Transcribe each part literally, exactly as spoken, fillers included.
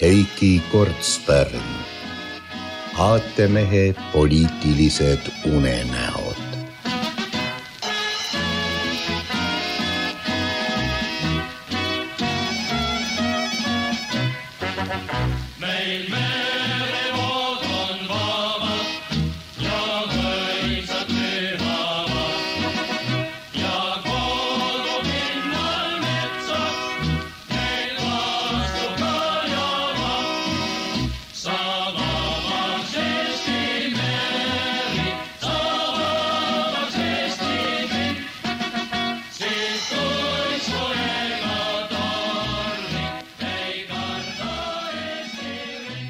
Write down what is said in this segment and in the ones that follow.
Heiki Kortspärn, aatemehe poliitilised unenäod. Meil merevood on vabad ja mõisad pühavad ja kogu pinnal metsad meil vastu kajavad. Sa vabaks Eesti meri, sa vabaks Eesti kõik, siis kui soega tormi ei karda Eesti riik.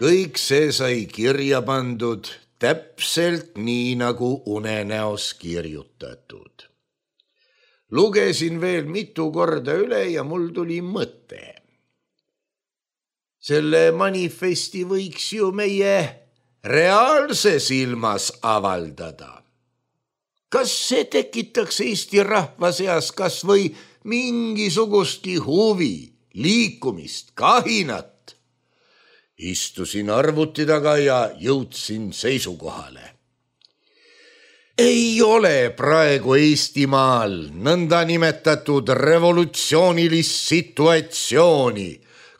Kõik see sai kirja pandud täpselt nii nagu unenäos kirjutatud. Lugesin veel mitu korda üle ja mul tuli mõte. Selle manifesti võiks ju meie reaalses ilmas avaldada. Kas see tekitaks Eesti rahva seas kas või mingisugustki huvi, liikumist, kahinat? Istusin arvuti taga ja jõudsin seisukohale. Ei ole praegu Eestimaal nõnda nimetatud revolutsioonilist situatsiooni,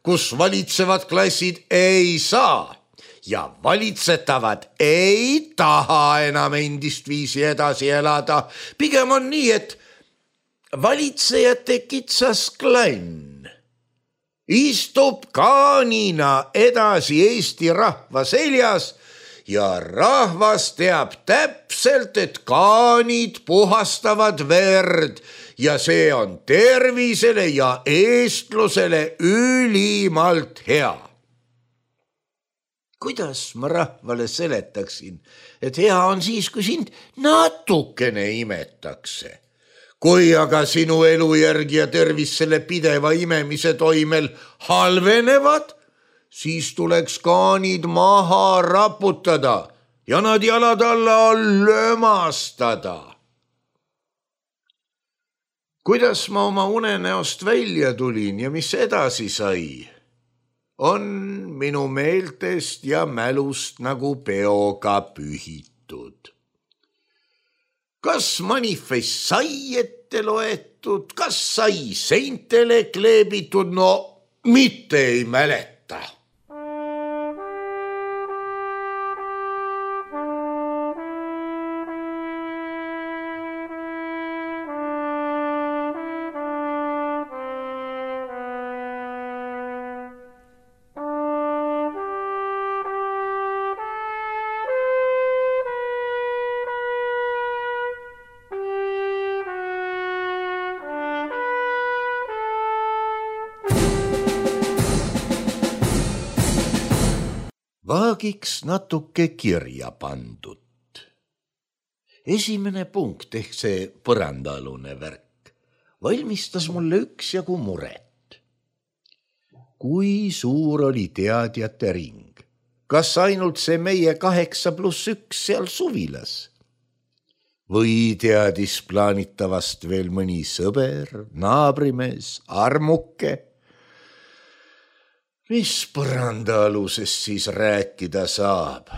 kus valitsevad klassid ei saa ja valitsetavad ei taha enam endist viisi edasi elada. Pigem on nii, et valitsejate kitsas klann istub kaanina edasi Eesti rahva seljas ja rahvas teab täpselt, et kaanid puhastavad verd ja see on tervisele ja eestlusele ülimalt hea. Kuidas ma rahvale seletaksin, et hea on siis, kui sind natukene imetakse? Kui aga sinu elujärg ja tervis selle pideva imemise toimel halvenevad, siis tuleks kaanid maha raputada ja nad jalad alla lömastada. Kuidas ma oma unenäost välja tulin ja mis edasi sai, on minu meeltest ja mälust nagu peoga pühitud. Kas manifest sai ette loetud, kas sai seintele kleebitud, no mitte ei mäleta. Vaagiks natuke kirja pandud. Esimene punkt ehk see põrandaalune värk valmistas mulle üksjagu muret. Kui suur oli teadjate ring? Kas ainult see meie kaheksa pluss üks seal suvilas? Või teadis plaanitavast veel mõni sõber, naabrimees, armuke? Mis põrandaalusest siis rääkida saab?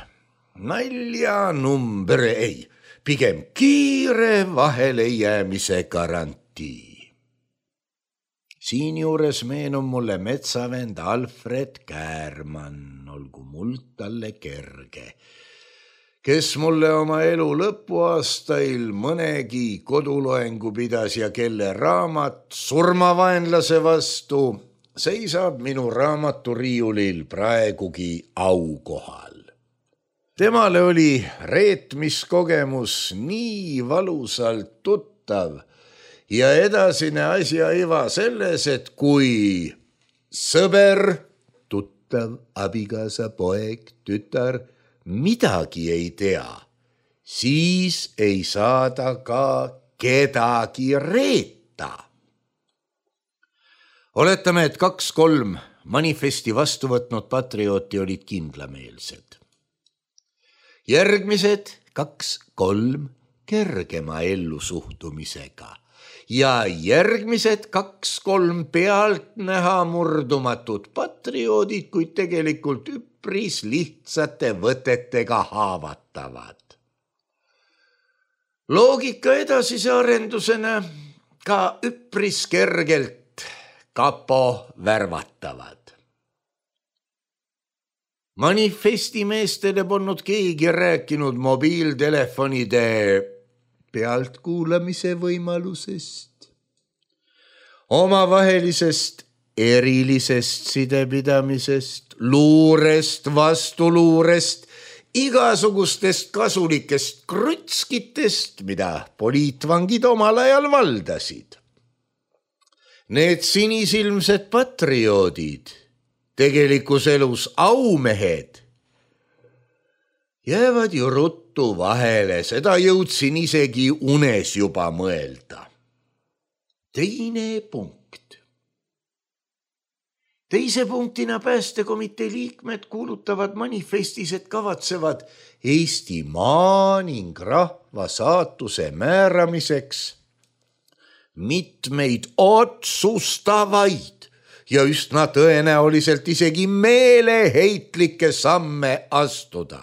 Nalja number ei, pigem kiire vahele jäämise garantii. Siinjuures meenub mulle metsavend Alfred Käärmann, olgu muld talle kerge, kes mulle oma elu lõpuaastail mõnegi koduloengu pidas ja kelle raamat Surmavaenlase vastu seisab minu raamaturiiulil praegugi aukohal. Temale oli reetmiskogemus nii valusalt tuttav ja edasine asja iva selles, et kui sõber, tuttav, abikaasa, poeg, tütar midagi ei tea, siis ei saada ka kedagi reeta. Oletame, et kaks-kolm manifesti vastu võtnud patriooti olid kindlameelsed. Järgmised kaks-kolm kergema ellusuhtumisega ja järgmised kaks-kolm pealtnäha murdumatut patrioodid, kuid tegelikult üpris lihtsate võtetega haavatavad. Loogika edasise arendusena ka üpris kergelt kapo värvatavad. Manifestimeestele polnud keegi rääkinud mobiiltelefonide pealtkuulamise võimalusest, omavahelisest erilisest sidepidamisest, luurest, vastuluurest, igasugustest kasulikest krutskitest, mida poliitvangid omal ajal valdasid. Need sinisilmsed patrioodid, tegelikus elus aumehed, jäävad ju ruttu vahele, seda jõudsin isegi unes juba mõelda. Teine punkt. Teise punktina päästekomitee liikmed kuulutavad manifestis, et kavatsevad Eestimaa ning rahva saatuse määramiseks mitmeid otsustavaid ja üsna tõenäoliselt isegi meeleheitlikke samme astuda.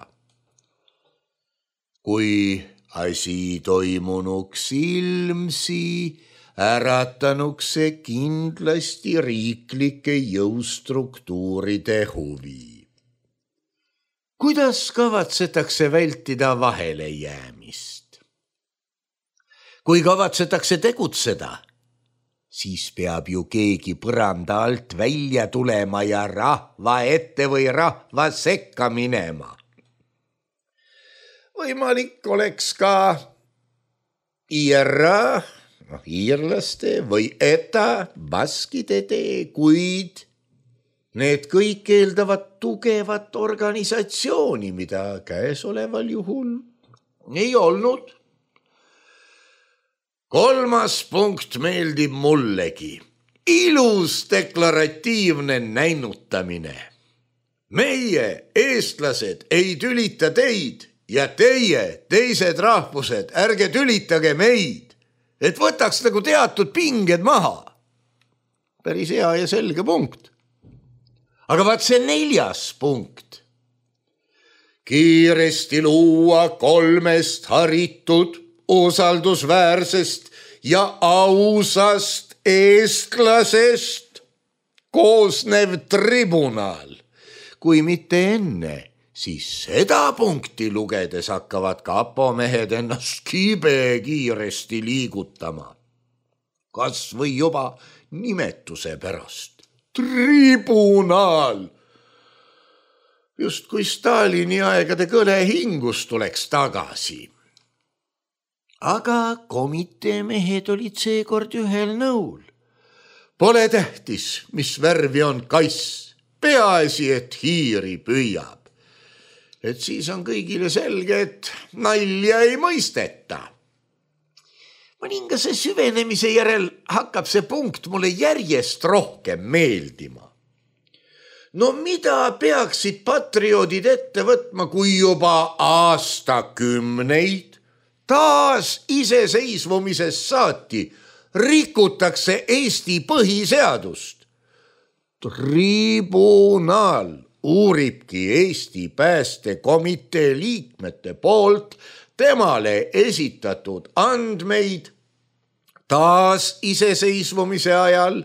Kui asi toimunuks ilmsi, äratanuks see kindlasti riiklike jõustruktuuride huvi. Kuidas kavatsetakse vältida vahele jäämist? Kui kavatsetakse tegutseda, siis peab ju keegi põranda alt välja tulema ja rahva ette või rahva sekka minema. Võimalik oleks ka I R A, noh, iirlaste või E T A, baskide tee, kuid need kõik eeldavad tugevat organisatsiooni, mida käesoleval juhul ei olnud. Kolmas punkt meeldib mullegi. Ilus deklaratiivne näinutamine. Meie, eestlased, ei tülita teid ja teie, teised rahvused, ärge tülitage meid, et võtaks nagu teatud pinged maha. Päris hea ja selge punkt. Aga vaat see neljas punkt. Kiiresti luua kolmest haritud, usaldusväärsest ja ausast eestlasest koosnev tribunal. Kui mitte enne, siis seda punkti lugedes hakkavad kapomehed ennast kibe kiiresti liigutama. Kas või juba nimetuse pärast. Tribunal! Just kui Stalini aegade kõle hingus tuleks tagasi. Aga komitee mehed olid seekord ühel nõul. Pole tähtis, mis värvi on kass. Peaasi, et hiiri püüab. Et siis on kõigile selge, et nalja ei mõisteta. Mõningase süvenemise järel hakkab see punkt mulle järjest rohkem meeldima. No mida peaksid patrioodid ette võtma, kui juba aastakümneid taas iseseisvumisest saati rikutakse Eesti põhiseadust? Tribunal uuribki Eesti päästekomitee liikmete poolt temale esitatud andmeid taas iseseisvumise ajal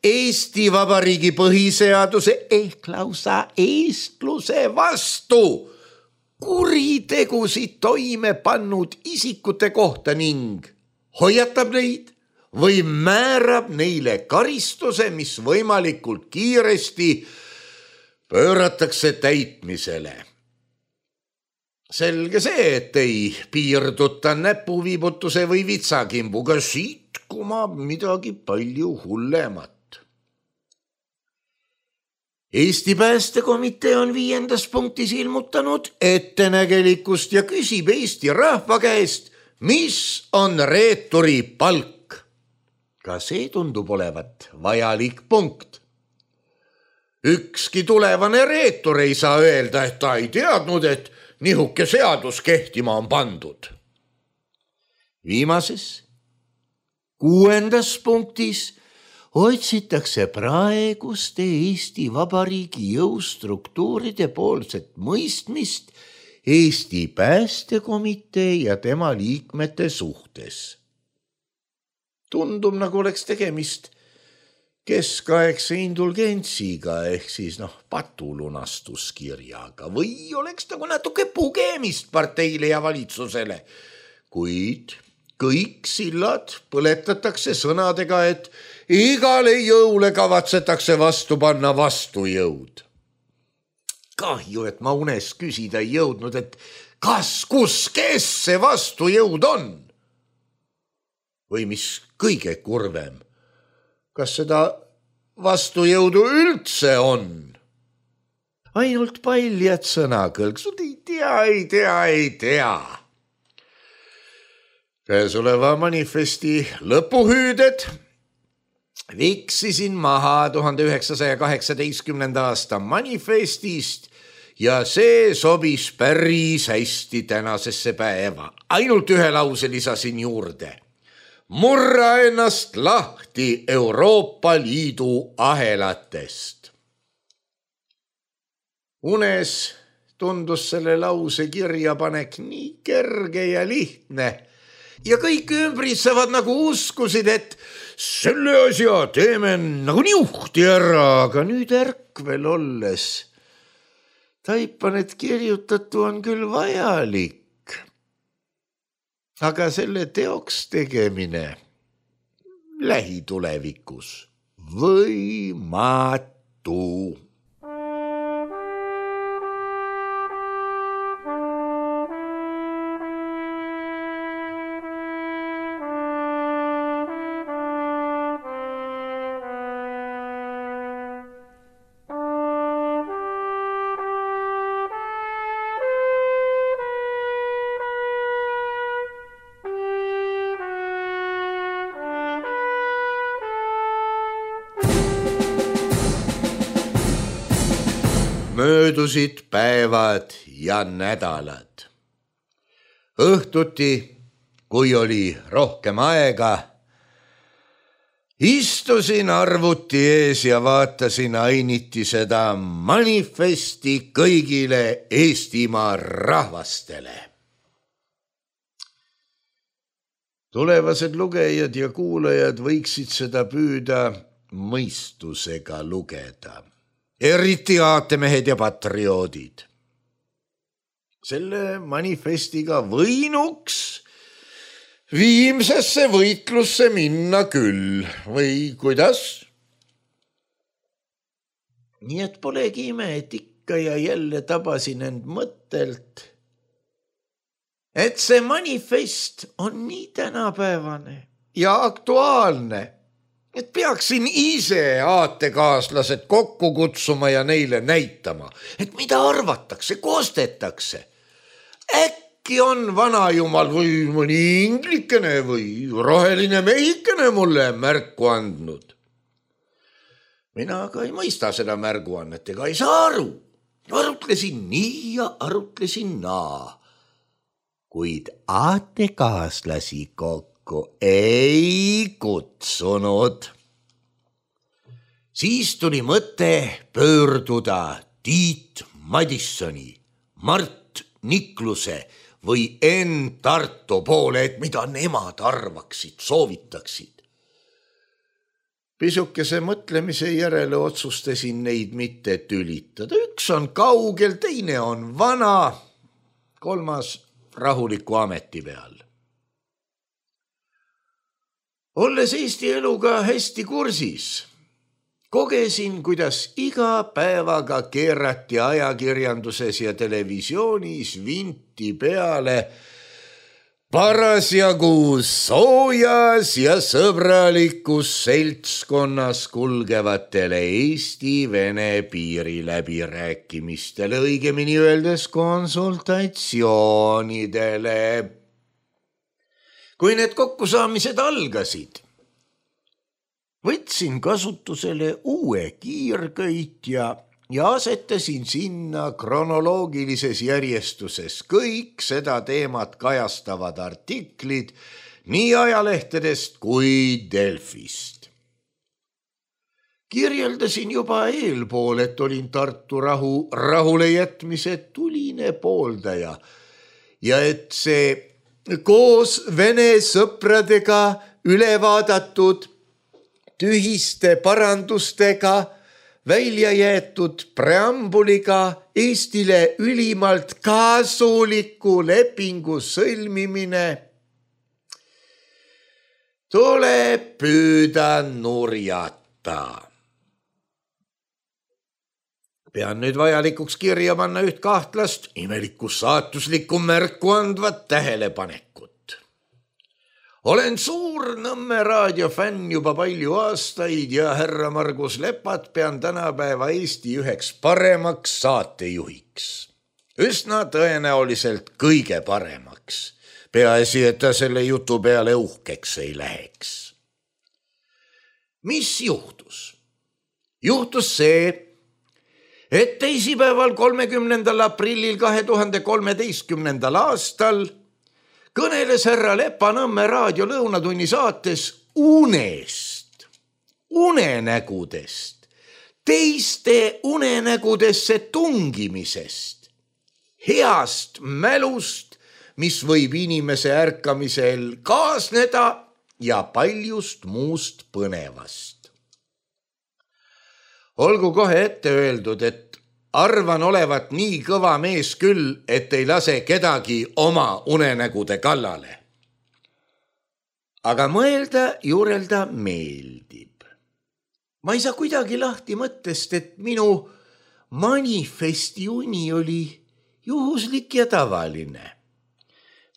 Eesti Vabariigi põhiseaduse ehk lausa eestluse vastu kuritegusid toime pannud isikute kohta ning hoiatab neid või määrab neile karistuse, mis võimalikult kiiresti pööratakse täitmisele. Selge see, et ei piirduta näpuviibutuse või vitsakimbuga, siit kumab midagi palju hullemat. Eesti päästekomitee on viiendas punktis ilmutanud ettenägelikkust ja küsib Eesti rahva käest, mis on reeturi palk. Ka see tundub olevat vajalik punkt. Ükski tulevane reetur ei saa öelda, et ta ei teadnud, et nihuke seadus kehtima on pandud. Viimases, Kuuendas punktis otsitakse praeguste Eesti Vabariigi jõustruktuuride poolset mõistmist Eesti Päästekomitee ja tema liikmete suhtes. Tundub, nagu oleks tegemist keskaegse indulgentsiga ehk siis noh, patulunastuskirjaga või oleks nagu natuke pugemist parteile ja valitsusele, kuid kõik sillad põletatakse sõnadega, et igale jõule kavatsetakse vastu panna vastujõud. Kahju, et ma unes küsida ei jõudnud, et kas, kus, kes see vastujõud on? Või mis kõige kurvem, kas seda vastujõudu üldse on? Ainult paljad sõnakõlksud ei tea, ei tea, ei tea. Käesoleva manifesti lõpuhüüded viksisin maha tuhande üheksasaja kaheksateistkümnenda aasta manifestist ja see sobis päris hästi tänasesse päeva. Ainult ühe lause lisasin juurde. Murra ennast lahti Euroopa Liidu ahelatest. Unes tundus selle lause kirjapanek nii kerge ja lihtne ja kõik ümbritsevad nagu uskusid, et selle asja teeme nagu niuhti ära, aga nüüd ärkvel olles taipan, et kirjutatu on küll vajalik, aga selle teoks tegemine lähitulevikus võimatu. Möödusid päevad ja nädalad. Õhtuti, kui oli rohkem aega, istusin arvuti ees ja vaatasin ainiti seda manifesti kõigile Eestimaa rahvastele. Tulevased lugejad ja kuulajad võiksid seda püüda mõistusega lugeda. Eriti aatemehed ja patrioodid. Selle manifestiga võinuks viimsesse võitlusse minna küll, või kuidas? Nii et polegi ime, et ikka ja jälle tabasin end mõttelt, et see manifest on nii tänapäevane ja aktuaalne, et peaksin ise aatekaaslased kokku kutsuma ja neile näitama, et mida arvatakse, kostetakse. Äkki on vanajumal või mõni inglikene või roheline mehikene mulle märku andnud. Mina aga ei mõista seda märguannet ega ei saa aru. Arutlesin nii ja arutlesin naa. Kuid aatekaaslasi kokku ei kutsunud. Siis tuli mõte pöörduda Tiit Madissoni, Mart Nikluse või Enn Tarto poole, et mida nemad arvaksid, soovitaksid. Pisukese mõtlemise järele otsustasin neid mitte tülitada. Üks on kaugel, teine on vana, kolmas rahuliku ameti peal. Olles Eesti eluga hästi kursis, kogesin, kuidas iga päevaga keerati ajakirjanduses ja televisioonis vinti peale parasjagu soojas ja sõbralikus seltskonnas kulgevatele Eesti-Vene piiri läbirääkimistele, õigemini öeldes konsultatsioonidele. Kui need kokkusaamised algasid, võtsin kasutusele uue kiirköitja ja asetasin sinna kronoloogilises järjestuses kõik seda teemat kajastavad artiklid nii ajalehtedest kui Delfist. Kirjeldasin juba eelpool, et olin Tartu rahu rahule jätmise tuline pooldaja ja et see koos vene sõpradega üle vaadatud tühiste parandustega välja jäetud preambuliga Eestile ülimalt kasuliku lepingu sõlmimine tuleb püüda nurjata. Pean nüüd vajalikuks kirja panna üht kahtlast, imelikku saatuslikku märku andvat tähelepanekut. Olen suur Nõmme raadiofänn juba palju aastaid ja härra Margus Lepat pean tänapäeva Eesti üheks paremaks saatejuhiks. Üsna tõenäoliselt kõige paremaks. Peaasi, et ta selle jutu peale uhkeks ei läheks. Mis juhtus? Juhtus see, et teisipäeval kolmekümnendal aprillil kahe tuhande kolmeteistkümnendal aastal kõneles härra Lepa Nõmme raadio lõunatunni saates unest, unenägudest, teiste unenägudesse tungimisest, heast mälust, mis võib inimese ärkamisel kaasneda ja paljust muust põnevast. Olgu kohe ette öeldud, et arvan olevat nii kõva mees küll, et ei lase kedagi oma unenägude kallale. Aga mõelda, juurelda meeldib. Ma ei saa kuidagi lahti mõttest, et minu manifesti uni oli juhuslik ja tavaline.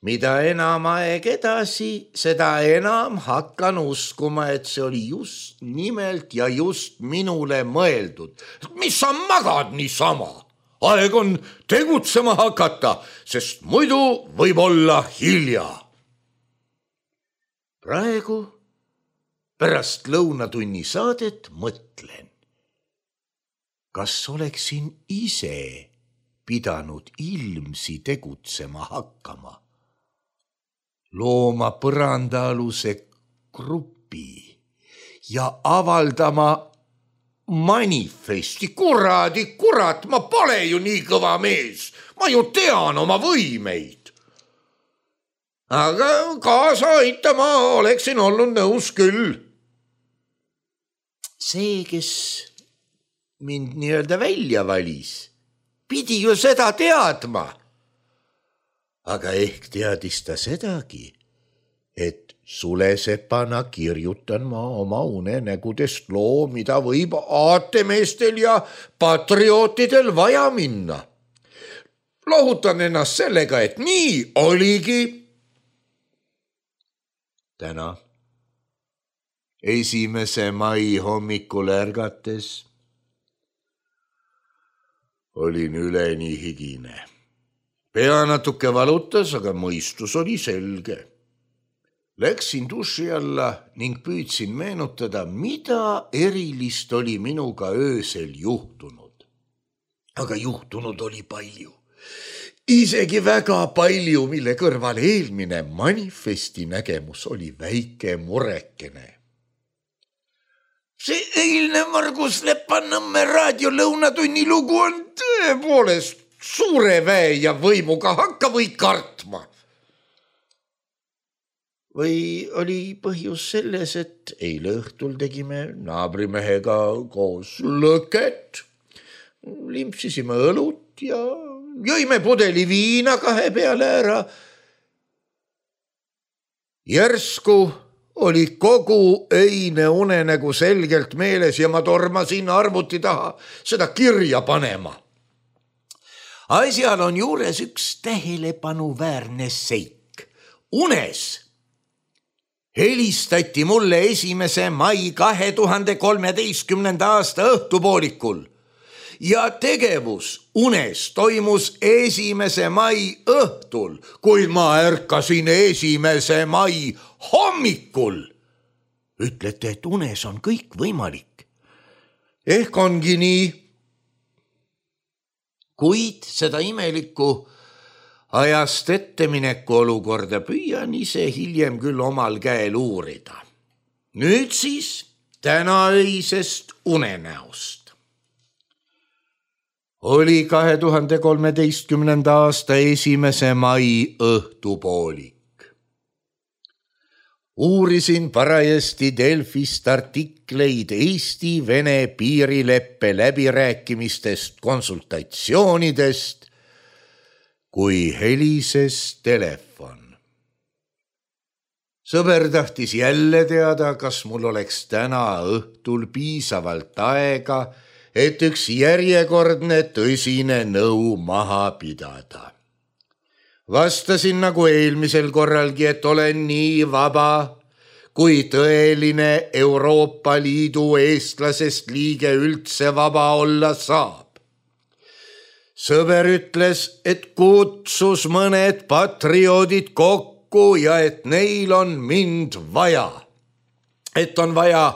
Mida enam aeg edasi, seda enam hakkan uskuma, et see oli just nimelt ja just minule mõeldud. Mis sa magad niisama? Aeg on tegutsema hakata, sest muidu võib olla hilja. Praegu, pärast lõunatunni saadet mõtlen, kas oleksin ise pidanud ilmsi tegutsema hakkama. Looma põrandaaluse grupi ja avaldama manifesti. Kuradi, kurat, ma pole ju nii kõva mees. Ma ju tean oma võimeid. Aga kaasa aitama oleksin olnud nõus küll. See, kes mind nii-öelda välja valis, pidi ju seda teadma. Aga ehk teadis ta sedagi, et sulesepana kirjutan ma oma unenägudest loo, mida võib aatemeestel ja patriootidel vaja minna. Lohutan ennast sellega, et nii oligi. Täna, esimese mai hommikul ärgates, olin üleni higine. Pea natuke valutas, aga mõistus oli selge. Läksin duši alla ning püüdsin meenutada, mida erilist oli minuga öösel juhtunud. Aga juhtunud oli palju. Isegi väga palju, mille kõrval eelmine manifesti nägemus oli väike murekene. See eilne Margus Lepa Nõmme raadio lõunatunni lugu on tõepoolest suure väe ja võimuga, hakka või kartma. Või oli põhjus selles, et eile õhtul tegime naabrimehega koos lõket, limpsisime õlut ja jõime pudeli viina kahe peale ära. Järsku oli kogu öine unenägu selgelt meeles ja ma tormasin arvuti taha seda kirja panema. Asjal on juures üks tähelepanuväärne seik. Unes helistati mulle esimese mai kahe tuhande kolmeteistkümnenda aasta õhtupoolikul ja tegevus unes toimus esimese mai õhtul, kuid ma ärkasin esimese mai hommikul. Ütlete, et unes on kõik võimalik. Ehk ongi nii. Kuid seda imelikku ajast ettemineku olukorda püüan ise hiljem küll omal käel uurida. Nüüd siis tänaöisest unenäost. Oli kahe tuhande kolmeteistkümnenda aasta esimese mai õhtupoolik. Uurisin parajasti Delfist artikleid Eesti-Vene piirileppe läbirääkimistest, konsultatsioonidest, kui helises telefon. Sõber tahtis jälle teada, kas mul oleks täna õhtul piisavalt aega, et üks järjekordne tõsine nõu maha pidada. Vastasin nagu eelmisel korralgi, et olen nii vaba, kui tõeline Euroopa Liidu eestlasest liige üldse vaba olla saab. Sõber ütles, et kutsus mõned patrioodid kokku ja et neil on mind vaja. Et on vaja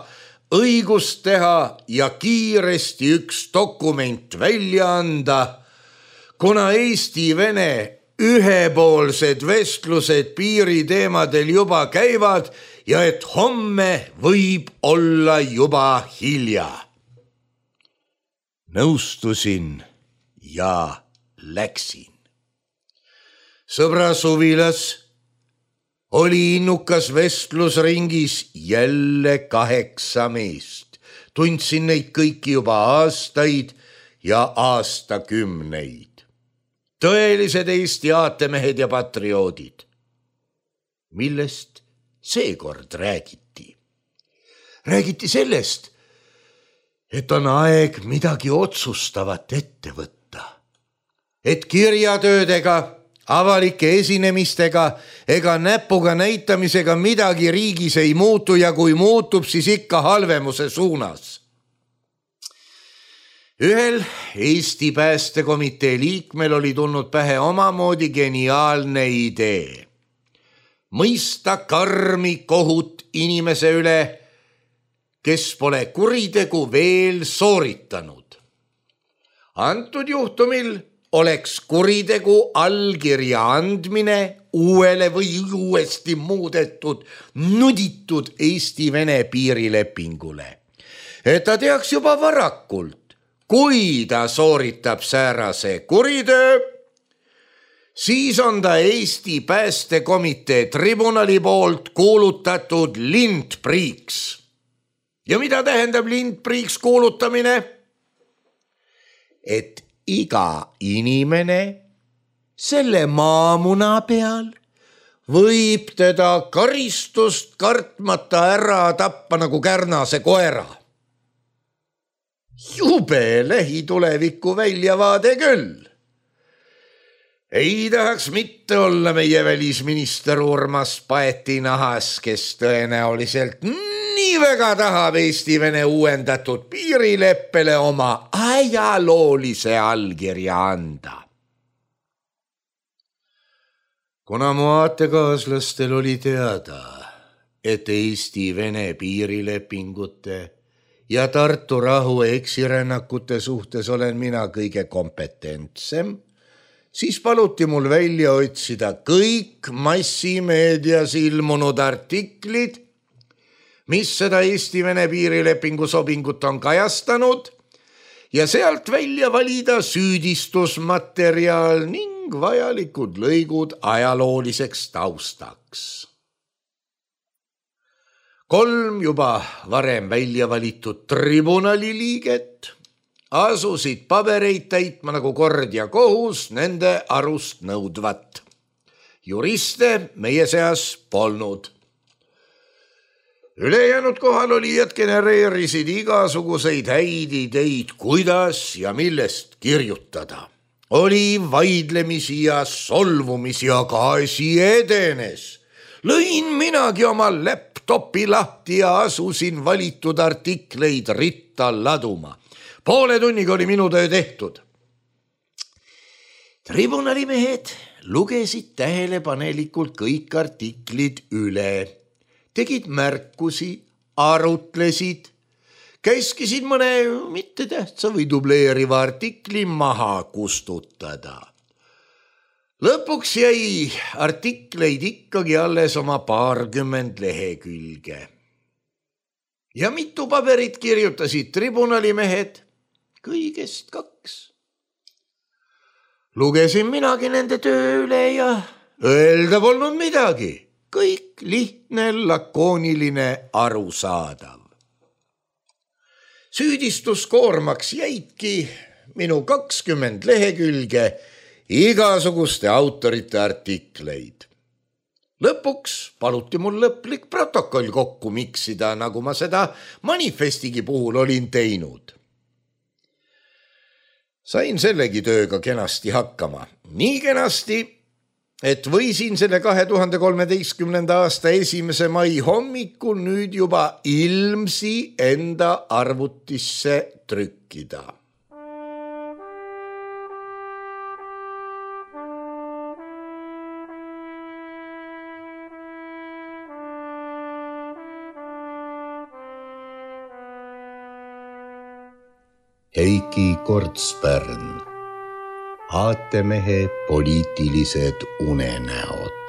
õigust teha ja kiiresti üks dokument välja anda, kuna Eesti-Vene ühepoolsed vestlused piiriteemadel juba käivad ja et homme võib olla juba hilja. Nõustusin ja läksin. Sõbra suvilas oli innukas vestlusringis jälle kaheksa meest. Tundsin neid kõiki juba aastaid ja aastakümneid. Tõelised Eesti aatemehed ja patrioodid. Millest seekord räägiti? Räägiti sellest, et on aeg midagi otsustavat ette võtta. Et kirjatöödega, avalike esinemistega ega näpuga näitamisega midagi riigis ei muutu ja kui muutub, siis ikka halvemuse suunas. Ühel Eesti päästekomitee liikmel oli tulnud pähe omamoodi geniaalne idee. Mõista karmi kohut inimese üle, kes pole kuritegu veel sooritanud. Antud juhtumil oleks kuritegu allkirja andmine uuele või uuesti muudetud, nuditud Eesti-Vene piirilepingule. Et ta teaks juba varakult, kui ta sooritab säärase kuritöö, siis on ta Eesti päästekomitee tribunali poolt kuulutatud lindpriiks. Ja mida tähendab lindpriiks kuulutamine? Et iga inimene selle maamuna peal võib teda karistust kartmata ära tappa nagu kärnase koera. Jube lähituleviku väljavaade küll. Ei tahaks mitte olla meie välisminister Urmas Paeti nahas, kes tõenäoliselt nii väga tahab Eesti-Vene uuendatud piirileppele oma ajaloolise allkirja anda. Kuna mu aatekaaslastel oli teada, et Eesti-Vene piirilepingute ja Tartu rahu eksirännakute suhtes olen mina kõige kompetentsem, siis paluti mul välja otsida kõik massimeedias ilmunud artiklid, mis seda Eesti-Vene piirilepingu sobingut on kajastanud ja sealt välja valida süüdistusmaterjal ning vajalikud lõigud ajalooliseks taustaks. Kolm juba varem välja valitud tribunali liiget asusid pabereid täitma nagu kord ja kohus nende arust nõudvat. Juriste meie seas polnud. Ülejäänud kohalolijad genereerisid igasuguseid häid ideid, kuidas ja millest kirjutada. Oli vaidlemisi ja solvumisi, aga asi edenes. Lõin minagi oma laptopi lahti ja asusin valitud artikleid ritta laduma. Poole tunniga oli minu töö tehtud. Tribunali mehed lugesid tähelepanelikult kõik artiklid üle, tegid märkusi, arutlesid, käskisid mõne mittetähtsa või dubleeriva artikli maha kustutada. lõpuks jäi artikleid ikkagi alles oma paarkümmend lehekülge. Ja mitu paberit kirjutasid tribunalimehed? Kõigest kaks. Lugesin minagi nende töö üle ja öelda polnud midagi. Kõik lihtne, lakooniline, arusaadav. Süüdistuskoormaks jäidki minu kakskümmend lehekülge igasuguste autorite artikleid. Lõpuks paluti mul lõplik protokoll kokku miksida, nagu ma seda manifestigi puhul olin teinud. Sain sellegi tööga kenasti hakkama. Nii kenasti, et võisin selle kahe tuhande kolmeteistkümnenda aasta esimese mai hommikul nüüd juba ilmsi enda arvutisse trükkida. Heiki Kortspärn, aatemehe poliitilised unenäod.